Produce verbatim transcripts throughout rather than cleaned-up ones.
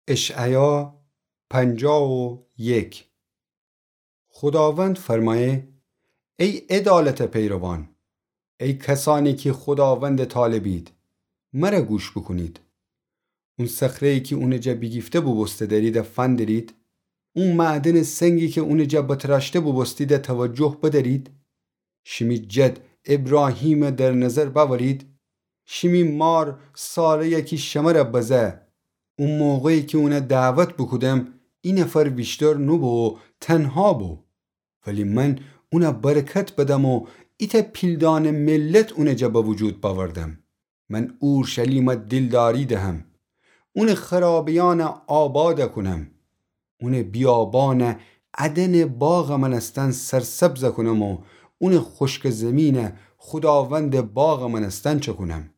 اشعیا پنجاه و یک. خوداوند فرمایه: ای عدالت پیروان، ای کسانی کی خوداوند طالبید، مره گوش بوکونید. اون صخره‌ای کی اونٚ جا بیگیفته بوبوسته دریده فندرید، اون معدنٚ سنگی کی اونٚ جا بتراشته بوبوستیده توجه بدرید. شیمی جد ابراهیمه در نظر بأورید. شیمی مار ساره‌یه کی شمره بزه، او موقعی کی اونه دعوت بوکودم، ای نفر ویشتر نوبو و تنها بو. ولی من اونه برکت بدم و ایتأ پیلدانه ملت اونٚ جا به وجود بأوردم. من اورشلیمه دیلداری دهم، اونٚ خرابه‌یأنه آباد کونم. اونٚ بیابانه عدنٚ باغٚ مأنستن سرسبز کونم و اونٚ خوشکٚ زیمینه خوداوندٚ باغٚ مأنستن چکونم.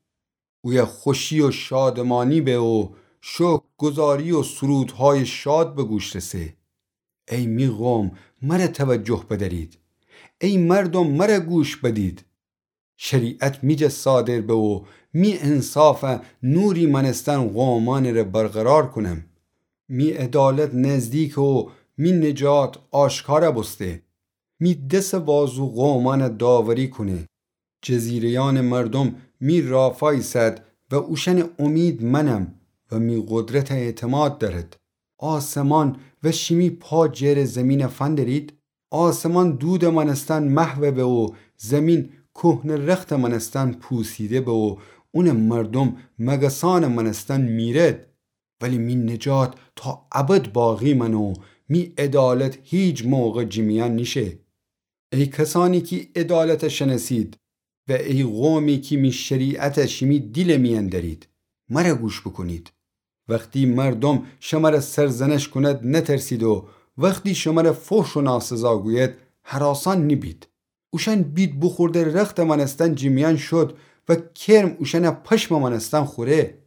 اویه خوشی و شادمانی به و شکرگزاری و سرودهای شاد به گوش رسه. ای می قوم، مره توجه بدرید. ای مردم، مره گوش بدید. شریعت می جا صادر به و می انصافه نوری مأنستن قومأنٚ ره برقرار کونم. می عدالت نزدیکه و می نجات آشکار بوسته. می دسٚ بازو قومأنه داوری کونه. جزیره‌یأنٚ مردم می رافا ایسد و اوشأنٚ امید منم و می قدرته اعتماد دأرد. آسمان و شیمی پا جرٚ زیمینه فندرید. آسمان دودٚ مأنستن محو به و زیمین کهنه رختٚ مأنستن پوسیده به و اونٚ مردم مگسأنٚ مأنستن میرد. ولی می نجات تا ابد باقی مأنه و می عدالت هیچ موقع جیمیأن نیشه. ای کسانی کی عدالته شنأسید و ای قومی کی می شریعته شیمی دیلٚ میأن دأرید، مره گوش بوکونید. وختی مردم شمره سرزنش کوند، نترسید و وختی شمره فحش و ناسزا گوید، هراسان نیبید. اوشأن بید بوخورده رختٚ مأنستن جیمیأن شد و کرم اوشأنه پشمٚ مأنستن خوره.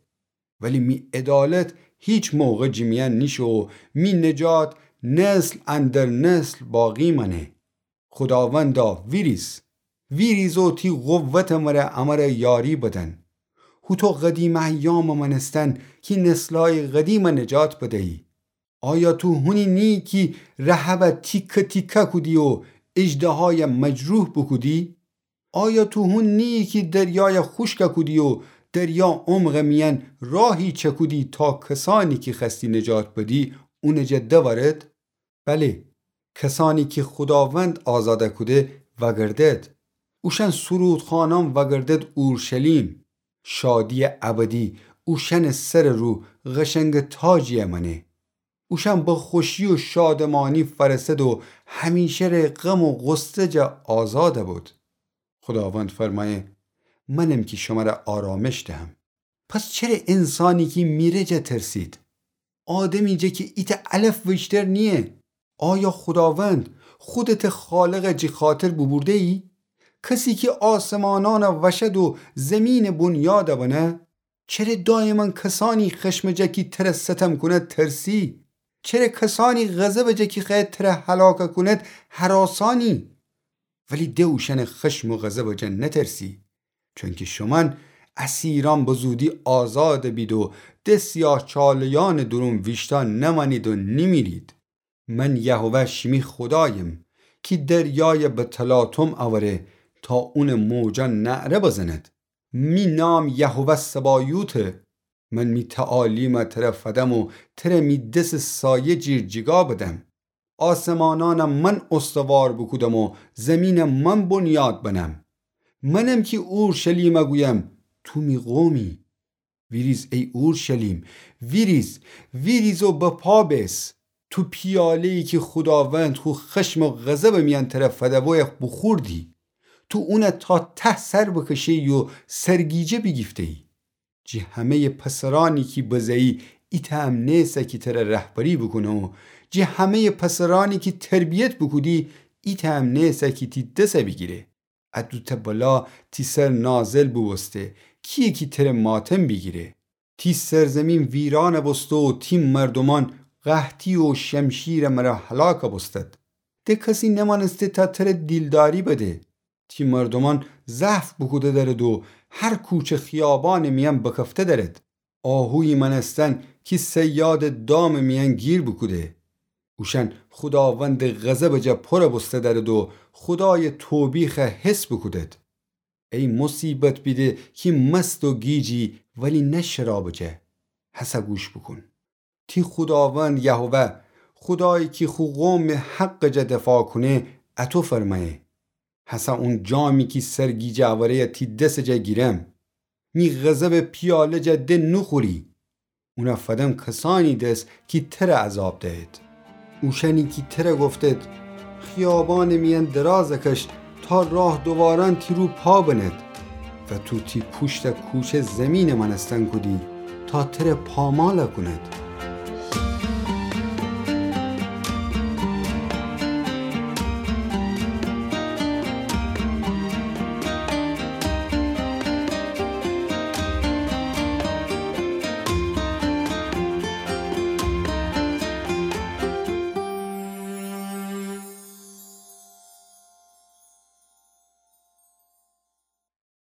ولی می عدالت هیچ موقع جیمیأن نیشه و می نجات نسل اندر نسل باقی مأنه. خوداوندا، ویریز، ویریز و تی قوتٚ مره امره یاری بدن. هوطو قدیمٚ ایامٚ مأنستن کی نسلأیٚ قدیمه نجات بدیی. آیا تو هونی نییی کی رهبه تیکه تیکه کودی و اژدهایه مجروح بوکودی؟ آیا تو هون نییی کی دریایه خوشک کودی و دریا عمقٚ میأن راهی چکودی تا کسأنی کی خوأستی نجات بدی اونٚ جا دورد؟ بله، کسأنی کی خوداوند آزاد کوده وأگردد. اوشأن سرودخوانأن وأگردد اورشلیم. شادییٚ ابدی اوشأنٚ سرٚ رو قشنگٚ تاجیی مأنه. اوشأن به خوشی و شادمانی فأرسد و همیشه ره غم و غصه جا آزاد بود. خوداوند فرمأیه: منم کی شمره آرامش دهم. پس چره انسانی کی میره جا ترسید؟ آدمی جا کی ایتأ علف ویشتر نییه. آیا خوداوند خودته خالقٚ جی خاطر بوبوردهیی؟ کسی کی آسمانأنه وشد و زیمینٚ بنیاد بنه؟ چره دایماً کسأنی خشمٚ جا کی تره ستم کونید ترسی؟ چره کسأنی غضبٚ جا کی خوأید تره هلاک کونید هراسانی؟ ولی د اوشأنٚ خشم و غضبٚ جا نترسی، چونکی شومأن اسیرأن به زودی آزاد بید و د سیاهچاله‌یأنٚ دورون ویشتأ نمأنید و نیمیرید. من یهوه شیمی خودایم کی دریای به تلاطم اوره تا اونٚ موجأن نعره بزند. می نام یهوه سبایوته. من می تعالیمه تره فدم و تره می دسٚ سایه جیر جیگا بدم. آسمانأنه من استوار بوکودم و زیمینه من بنیاد بنم. منم کی اورشلیمه گویم: تو می قومی. ویریز ای اورشلیم، ویریز، ویریز و به پا بیس. تو پیاله‌یی کی خوداوند خو خشم و غضبٚ میأن تره فدویه بوخوردی. تو اونه تا ته سر بکشه‌یی و سرگیجه بیگیفته‌یی. جی همه‌یٚ پسرأنی کی بزه‌یی ایتأ هم نیسه کی تره رهبری بوکونه و جی همه‌یٚ پسرأنی کی تربیت بوکودی ایتأ هم نیسه کی تی دسه بیگیره. ا دوتأ بلا تی سر نازل بوبوسته، کییه کی تره ماتم بیگیره؟ تی سرزیمین ویرأن بوسته و تی مردومأن قحطی و شمشیرٚ مره هلاک بوستد. د کسی نمأنسته تا تره دیلداری بده. تی مردومأن ضعف بوکوده دأرد و هر کوچه خیابانٚ میأن بکفته دأرد. آهویی مأنستن کی صیادٚ دامٚ میأن گیر بوکوده. اوشأن خوداوندٚ غضبٚ جا پورَ بوسته دأرد و خودایٚ توبیخَ حس بوکودد. ای موصیبت بیده کی مست و گیجی، ولی نه شرابٚ جا. هسه گوش بوکون. تی خوداوند یهوه، خودایی کی خو قومٚ حقٚ جا دفاع کونه، اَتو فرمأیه: هسه اون جامی کی سرگیجه اوری‌یَ تی دسٚ جا گیرم. می غضبٚ پیاله‌یٚ جا د نوخوری. اونَ فدم کسأنی دس کی ترَ عذاب دهید. اوشأنی کی ترَ گفتید: خیابانٚ میأن درازَ کش تا راه‌دوارأن تی رو پا بنید. و تو تی پوشتَ کوچه زیمینٚ مأنستن کودی تا ترَ پامالَ کونید.